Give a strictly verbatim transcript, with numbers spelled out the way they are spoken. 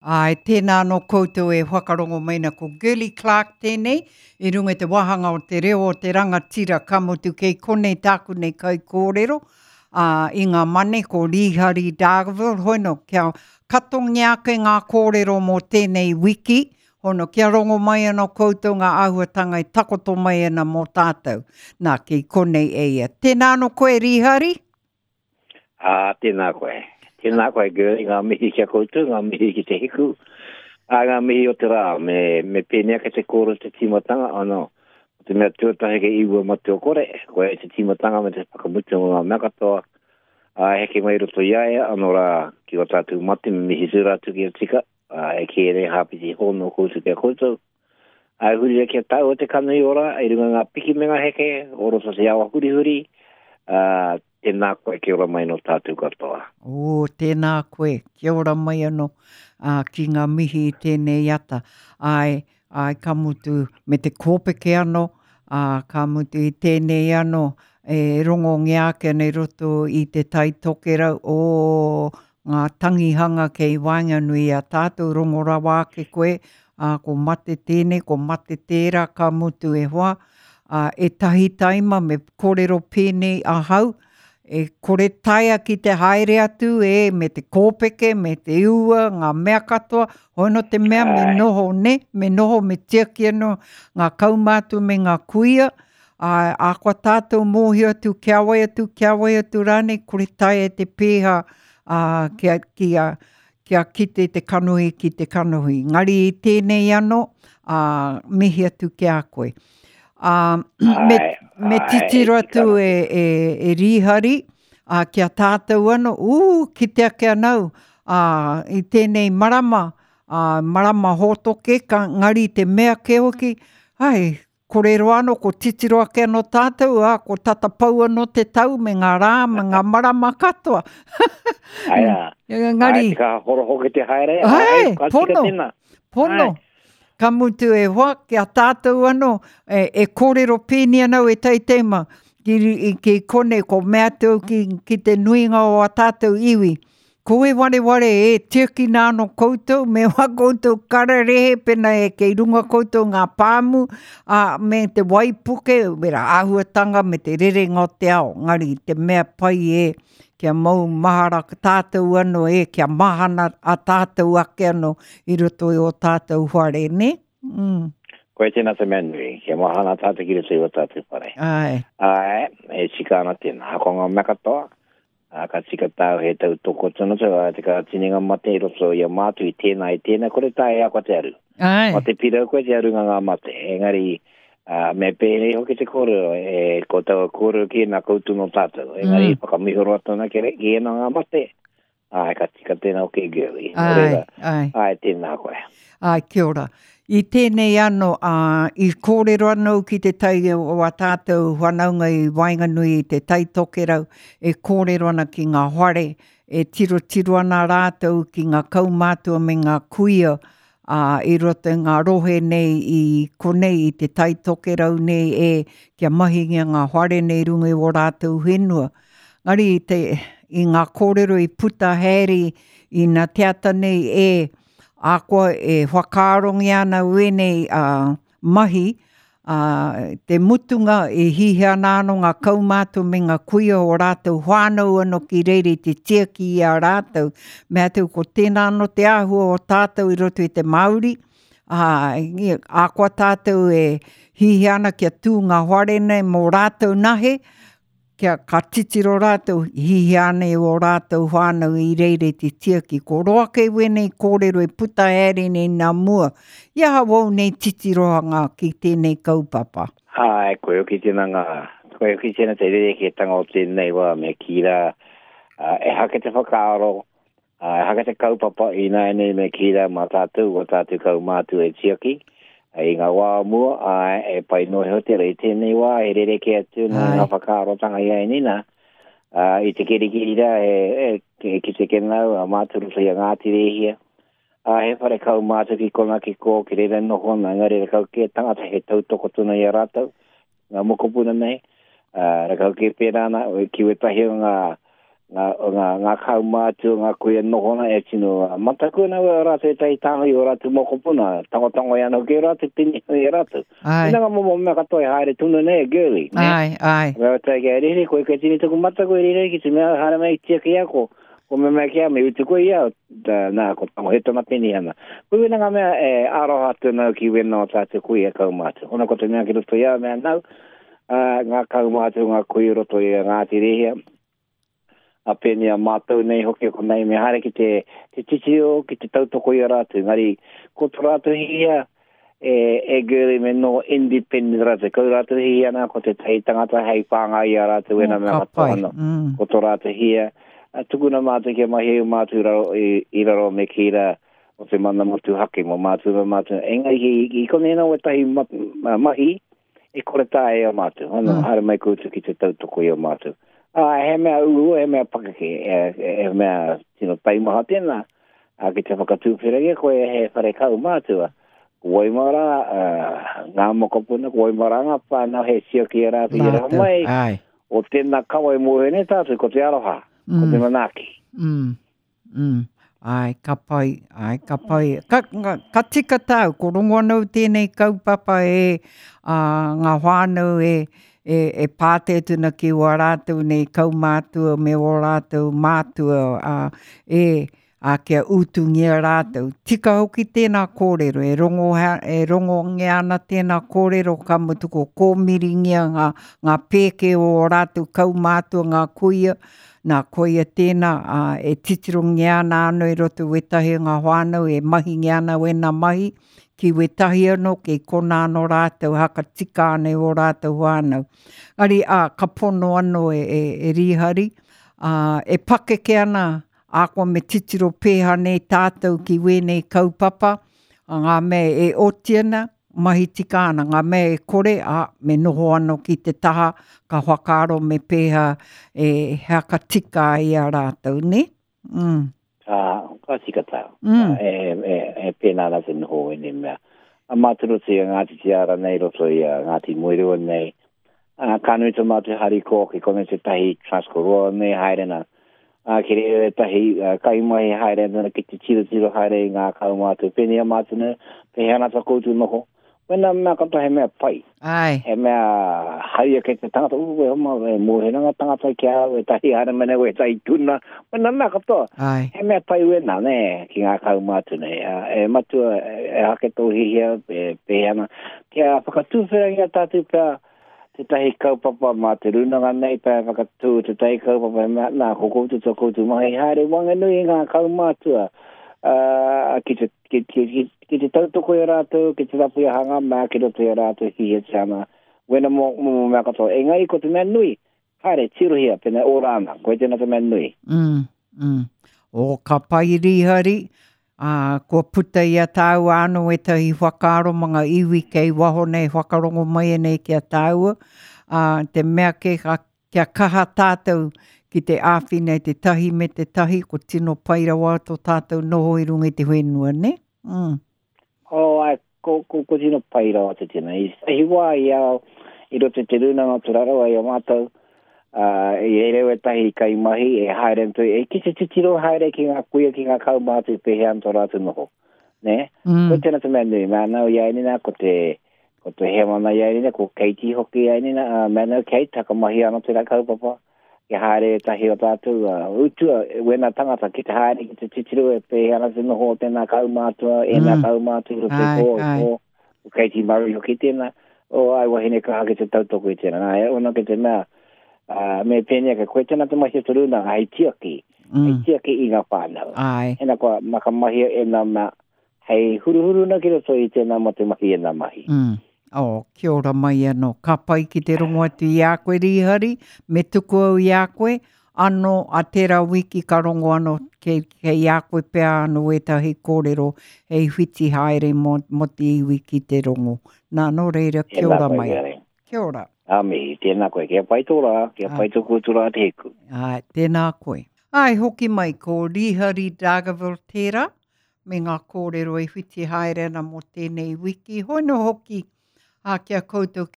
Āe, tēnā anō koutou e whakarongo mai na ko Girlie Clarke tēnei, i runga i te wāhanga o te reo o te rangatira ka mutu kei konei tāku nei kaikōrero, ā, i ngā mane ko Rīhari Dargaville, hoino kia katongia ake ngā kōrero mō tēnei wiki, hono kia rongo mai anō koutou ngā āhuatanga e takoto mai ana mō tātou. Nā, kei konei e ia. Tēnā anō koe, Rīhari? Ā, tēnā koe. Tēnā koe, Girlie, ngā mihi ki a koutou, ngā mihi ki te hiku, ā, ngā mihi o te rā, me, me pēnei ake te kōrero te tīmatanga, ano, ko te mea tuatahi kei iwa matua kore, koe te tīmatanga me te whakamutunga o ngā mea katoa, ā, heke mai roto i a ia, ano rā, ki o tātou mate, me mihi tūra atu ki a tika, ā, e kē nei hāpiti hōno koutou ki a koutou. Ā, huri kia tāua te kanohi ora, i runga ngā piki me ngā heke, o roto te awa hurihuri, ā, tēnā koe, kia ora mai no tātou katoa. Ō, tēnā koe, kia ora mai anō, ā, ki ngā mihi i tēnei ata. Āe, āe, ka mutu me te kōpeke anō, ā, ka mutu i tēnei anō, e rongongia ake ana i roto i te Tai Tokerau, ō, ngā tangihanga kei waenganui i a tātou, rongo rawa ake koe, ā, ko mate tēnei, ko mate tērā, ka mutu e hoa, ā, ētahi taima me kōrero pēnei ahau, e kore taea ki te haere atu e, me te kōpeke, me te ua, ngā mea katoa, hono te mea me noho, ne, me noho, me tiaki anō ngā kaumātua me ngā kuia, ā, ā kua tātou mōhio atu, kia wai atu, kia wai atu rānei, kore taea te pēha, ā, kia, kia, kia kite te kanohi ki te kanohi. Ngari i tēnei anō, ā, mihi atu ki a koe. Ā, me, me titiro atu e, e, e Rīhari, ā, ki a tātou anō, ū, kite ake anau, ā, i tēnei marama, ā, marama hōtoke, ka ngari te mea ke hoki, ai, kore roa anō, ko titiro ake anō tātou, ā, ko tata pau anō te tau me ngā rā, me ngā marama katoa. Ai rā. Ngari. Ai, te kaha horo hoki te haere, ai, ai, ka tika pono, tēnā. pono. Ai. Ka mutu e hoa, ki a tātou anō, e, e kōrero pēni anau e teitema, ki, i, ki kone, ko mea atu ki, ki te nuinga o a tātou iwi. Ko e wareware e tiakina anō koutou, me wā koutou kararehe, pena e kei runga koutou ngā pāmu, ā, me te waipuke, me rā āhuatanga, me te rerenga o te ao. Ngari, te mea pai e, kia mau mahara tātou anō e, kia mahana a tātou ake anō i roto i o tātou whare, ne? Mm. Koe tēnā te mea nui, kia mahana tātou ki roto i o tātou whare. Ai. Ai, e tika ana tēnā. Hako ngā mea katoa, ā, ka tika tāu he tau toko tonu tau, ā, te ka tini ngā mate i roto i a mātou i tēnā, i tēnā, kore tā e ako te aru. Ai. Mate pirau koe te aru ngā ngā mate. Engari, ā, me pēnei hoki te kōrero, e, ko taua kōrero ki nā koutou no tātou. Engari, Mm. whakamihoro atu ana ki re, ki ēnā ngā mate. Ai, ka tika tēnā hoki, Girlie. Nō Ai, reira, ai. ai, tēnā koe. Ai, kia ora. I tēnei anō, ā, i kōrero anō ki te tai o a tātou whanaunga i waenganui i te Tai Tokerau, e kōrero ana ki ngā whare, e tirotiro ana rātou ki ngā kaumātua me ngā kuia, ā, i roto i ngā rohe nei i konei i te Tai Tokerau nei e, kia mahingia ngā whare nei runga i o rātou whenua. Ngari i te, i ngā kōrero i puta haere i nā te ata nei e, ā koa e whakaarongia ana wēnei, ā, mahi, ā, te mutunga e hihia ana anō ngā kaumātua me ngā kuia o rātou whānau anō ki reira i te tiaki i a rātou. Me atu ko tēnā anō te āhua o tātou i roto i te Māori, ā, i, ā koa tātou e hihia ana kia tū ngā whare nei mō rātou nahe, kia ka titiro rātou, hihia ana i o rātou whānau i reira i te tiaki. Ko roa kei wēnei kōrero e puta haere nei nā mua. I aha wau nei titirohanga ki tēnei kaupapa. Ai, koe hoki tēnā ngā, koe hoki tēnā te rerekētanga o tēnei wā me kī rā, ā, e hake te whakaaro, ā, e hake te kaupapa i nāianei me kī rā mā tātou, o tātou kaumātua e tiaki. I ngā wā o mua, ā, e pai noa iho te rei tēnei wā, e rerekē atu nā Ai. ngā whakaarotanga i ai nina. Ā, i te kirikiri rā, e, e, e kite ke nau, a mātou roto i a Ngāti Rēhia. Ā, he whare kaumātua ki kona ki kō, ki reira noho ana, engari rakau kē tangata he tautoko tonu i a rātou, ngā mokopuna nei. Ā, rakau kē pērā ana, ki wetahi o ngā, ngā, ngā, ngā kaumātua, ngā kuia noho ana e tino mataku ana o rātou ētahi tānga i o rātou mokopuna, tangotango i ana hoki o rātou, pini i rātou. Ai. Ina ngā momo mea katoa e haere tunu nei, girly. Ne? Ai, ai. Mea tai kia rere, koe kei tini taku mataku e rere ki te mea haere mai tiaki ia ko, ko mea mea kia me utu koe ia, da, nā, ko tango he tona penihana. Koe wena ngā mea e aroha atu nau ki wena o tātou kuia kaumātua. Ona ko te mea ki roto ia mea nau, uh, ngā kaumātua, ngā kuia roto i Ngāti Rehia, a pēnei a mātou nei hoki ko nei me haere ki te, te titiro, ki te tautoko i a rātou. Engari, ko tō rātou hihia, e, e girly me no independent rātou. Kau rātou hihia nā, ko te tahi tangata hei whāngai i a rātou wena Oh, mea ka katoa pai. anō. Mm. Ko tō rātou hia, a, tukuna mātou kia mahi au mātou i raro, i, i raro me ki rā o te mana motuhake mō mātou me mātou. Engari, i, i konei nā wetahi ma, ma, mahi, e kore tā e a mātou. Ano, Mm. haere mai koutou ki te tautoko i a mātou. Ah, he mea uua, he mea pakeke, he, he mea tino taimaha tēnā. A ki te whakatūwhirangia koe he whare kaumātua. Ko Waimara, uh, ngā mokopuna, ko Waimara ngā whānau he siaki e rātou i rā Rātou, mai. ai. O tēnā kawa e mōhio nei tātou, ko te aroha, ko te Mm. manaaki. Mm. Mm. Ai, ka pai, ai, ka pai. Ka, ka, ka tika tāu, ko rongo anau tēnei kaupapa e a, ngā whānau e, e, e pāte tuna ki wā rātou nei kaumātua me wā rātou mātua a, e, a kia utungia rātou. Tika hoki tēnā kōrero, e rongo, e rongongia ana tēnā kōrero ka mutu ko kōmiringia ngā, ngā pēke o ō rātou kaumātua ngā kuia, nā koia tēnā a, e titirongia ana anō i roto wetahi o ngā whānau e mahingia ana wena mahi, ki wetahi anō, kei kona anō rātou, haka tika ana i o rātou whānau. Ngari, a, ka pono anō e, e, e rihari, a, e pakeke ana, a koa me titiro pēha nei tātou ki wēnei kaupapa, a ngā mea e oti ana, mahi tika ana, ngā mea e kore, a, me noho anō ki te taha, ka whakaaro me pēha e haka tika ai a rātou, ne? Mm. Ka, ka tika tāu. Mm. E, e, e pēnā ana te noho e nei mea. A mātou roto i a Ngāti Te Ara nei, roto i a Ngāti Moerewa nei. A, ka nui tō mātou harikoa ki konei te tahi Transkoroa nei haere nā. A, ki reira tahi uh, kaimahi haere ana ki te tiro tiro haere i ngā kaumātua. Pēnei a mātou nei, pēhea ana tā koutou noho. Wena mea katoa he mea pai. Ai. He mea hai ake te tangata, uu, e homa, e mōhena ngā tangata ki au, e tahi haere mene, e tahi tuna. Wena mea katoa. Ai. He mea pai wena, ne, ki ngā kaumātua nei. A, E matua, e, e hake tō hihia, e pēhea ana. Kia whakatūwhirangia tātou pea tētahi kaupapa mā te rūnanga nei, pea whakatū tētahi kaupapa, he mea, nā, ko koutou tō koutou mahi haere wanganui i ngā kaumātua. Uh, ki te, ki, ki, ki, ki te tautoko i a rātou, ki te rapu i a hanga mea, ki roto i a rātou hihia te ana. Wena mō, mō mea katoa. Engari ko te mea nui, haere, tirohia, pēnā ora ana, koe tēnā te mea nui. Mm, mm. O, ka pai rihari, ā, kua puta i a tāua anō ētahi whakaaro mā ngā iwi kei waho nei, whakarongo mai nei ki a tāua. Ā, te mea ke ka, kia kaha tātou ki te āwhina i te tahi me te tahi, ko tino pai rawa tō tātou noho i runga i te whenua, ne? Mm. Oh, ai, ko, ko, ko tino pai rawa te tēnā. I hi wā i au, i roto i te rūnanga o Te Rarawa i a mātou, uh, i reira wetahi kaimahi e haere antu, e ki te titiro haere ki ngā kuia, ki ngā kaumātua i pēhea ana tō rātou noho. Ne? Mm. Ko tēnā te mea nui, mea nau i ai nina, ko te, ko te hemana i ai nina, ko Katie hoki i ai nina, uh, mea nau Kate, hakamahi ana tērā kaupapa, ki haere tahi o tātou, uh, utua, wena tangata ki te haere, ki te titiro e pēhea ana te noho o tēnā kaumātua, ēnā Mm. kaumātua, i roto i Ai, pō, ai. i pō, ko Katie Murray hoki tēnā, o ai wahine kaha ki te tautoko i tēnā. Nā, e ona ki te mea, uh, me pēnei ka koe tēnā te mahi o te rūnanga, hei tiaki, hei Mm. tiaki i ngā whānau. Ai. Hena koa makamahia e nā mea, hei huruhuru na ki roto i tēnā mo te mahi e nā mahi. Mm. Oh, kia ora mai anō. Ka pai ki te rongo atu i a koe rihari, me tuku au i a koe, anō a tērā wiki ka rongo anō kei, kei a koe pea anō ētahi kōrero hei whiti haere mō, mō te iwi ki te rongo. Nā, nō reira, kia Tēnā ora koe, mai. Gary. Kia ora. A mihi, tēnā koe, kia pai tō rā, kia Ai. pai tō koutou rā te hiku. Ai, tēnā koe. Ai, hoki mai, ko Rihari Dargaville tērā, me ngā kōrero e whiti haere ana mō tēnei wiki. Hoino hoki, a kia koutou